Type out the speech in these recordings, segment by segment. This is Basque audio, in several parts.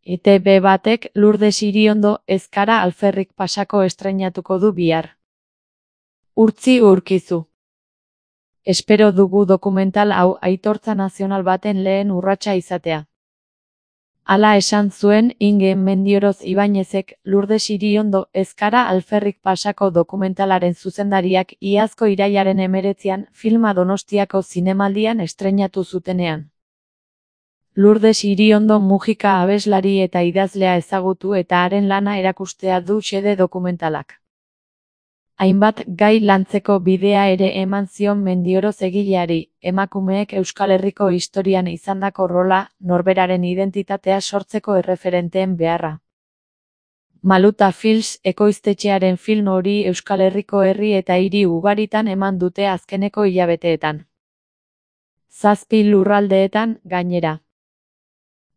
ETB batek Lurdes Iriondo Ezkara alferrik pasako estreinatuko du bihar. Urtzi Urkizu. Espero dugu dokumental hau aitortza nazional baten lehen urratsa izatea. Hala esan zuen Inge Mendioroz Ibañezek Lurdes Iriondo Ezkara alferrik pasako dokumentalaren zuzendariak iazko irailaren 19an filma Donostiako zinemaldian estreinatu zutenean. Lurdes Iriondo Mujika abeslari eta idazlea ezagutu eta haren lana erakustea du xede dokumentalak. Hainbat gai lantzeko bidea ere eman zion Mendioroz egileari, emakumeek Euskal Herriko historian izandako rola, norberaren identitatea sortzeko erreferenteen beharra. Maluta Films ekoiztetxearen film hori Euskal Herriko herri eta hiri ugaritan eman dute azkeneko hilabeteetan. 7 lurraldeetan, gainera.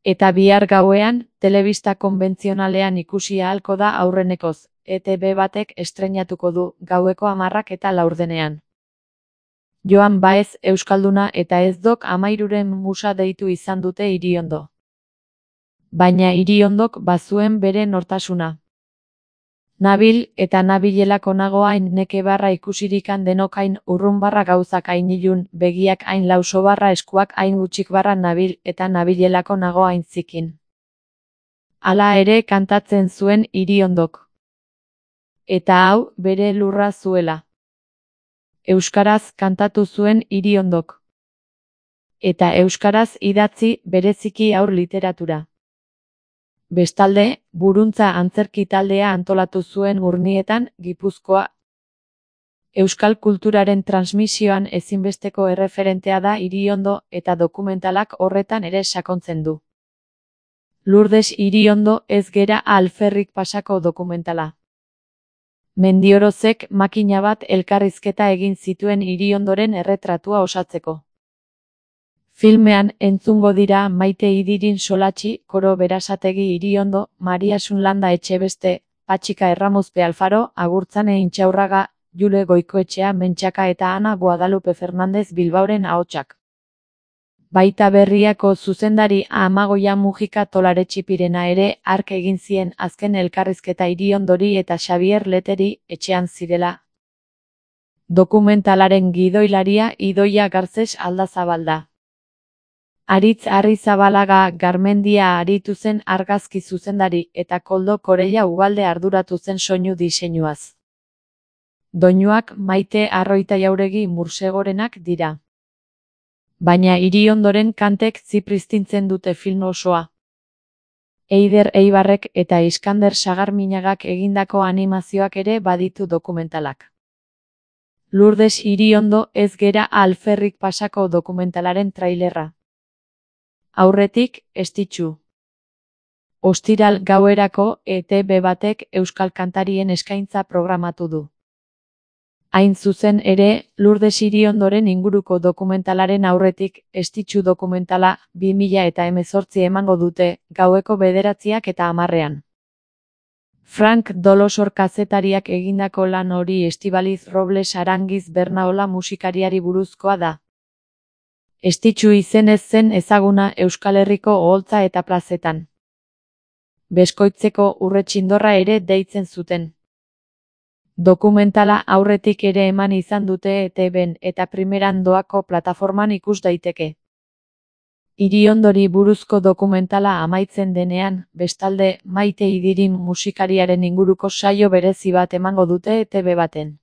Eta bihar gauean, telebista konbentzionalean ikusi ahalko da aurrenekoz, ETB batek estreinatuko du, gaueko 10:04 Joan Baez euskalduna eta ez dok 13 musa deitu izan dute Iriondo. Baina Iriondok bazuen bere nortasuna. Nabil eta nabilelako nago hain neke barra ikusirikan denok hain urrun barra gauzak hain ilun, begiak hain lauso barra eskuak hain gutxik barra nabil eta nabilelako nago hain zikin. Hala ere kantatzen zuen Iriondok. Eta hau, bere lurra zuela. Euskaraz kantatu zuen Iriondok. Eta euskaraz idatzi bereziki haur literatura. Bestalde, Buruntza antzerki taldea antolatu zuen Urnietan, Gipuzkoa. Euskal kulturaren transmisioan ezinbesteko erreferentea da Iriondo eta dokumentalak horretan ere sakontzen du. Lurdes Iriondo ez gera alferrik pasako dokumentala. Mendiorozek makina bat elkarrizketa egin zituen Iriondoren erretratua osatzeko. Filmean entzungo dira Maite Idirin Solatxi, Koro Berasategi Iriondo, Maria Sunlanda Etxebeste, Patxika Erramuzpe Alfaro, Agurtzane Intxaurraga, Jule Goikoetxea Mentxaka eta Ana Guadalupe Fernandez Bilbaoren ahotsak. Baita Berriako zuzendari Amagoia Mujika Tolaretxipirena ere hark egin zien azken elkarrizketa Iriondori eta Xabier Leteri etxean zirela. Dokumentalaren gidoilaria Idoia Gartzes Aldazabalda. Aritz Arrizabalaga Garmendia aritu zen argazki zuzendari eta Koldo Koreia Ugalde arduratu zen soinu diseinuaz. Doinuak Maite Arroita Jauregi Mursegorenak dira. Baina Iriondoren kantek zipristintzen dute film osoa. Eider Eibarrek eta Iskander Sagarminagak egindako animazioak ere baditu dokumentalak. Lurdes Iriondo ez gera alferrik pasako dokumentalaren trailerra. Aurretik, estitxu. Ostiral gauerako ETB batek euskal kantarien eskaintza programatu du. Hain zuzen ere, Lurdes Iriondoren inguruko dokumentalaren aurretik, estitxu dokumentala 2018 emango dute, gaueko 9:10 Frank Dolosor kazetariak egindako lan hori Estibaliz Robles Arangiz Bernaola musikariari buruzkoa da. Estitxu izenez zen ezaguna Euskal Herriko oholtza eta plazetan. Beskoitzeko urretxindorra ere deitzen zuten. Dokumentala aurretik ere eman izan dute ETBn eta primeran doako plataforman ikus daiteke. Iriondori buruzko dokumentala amaitzen denean, bestalde, Maite Idirin musikariaren inguruko saio berezi bat emango dute ETB baten.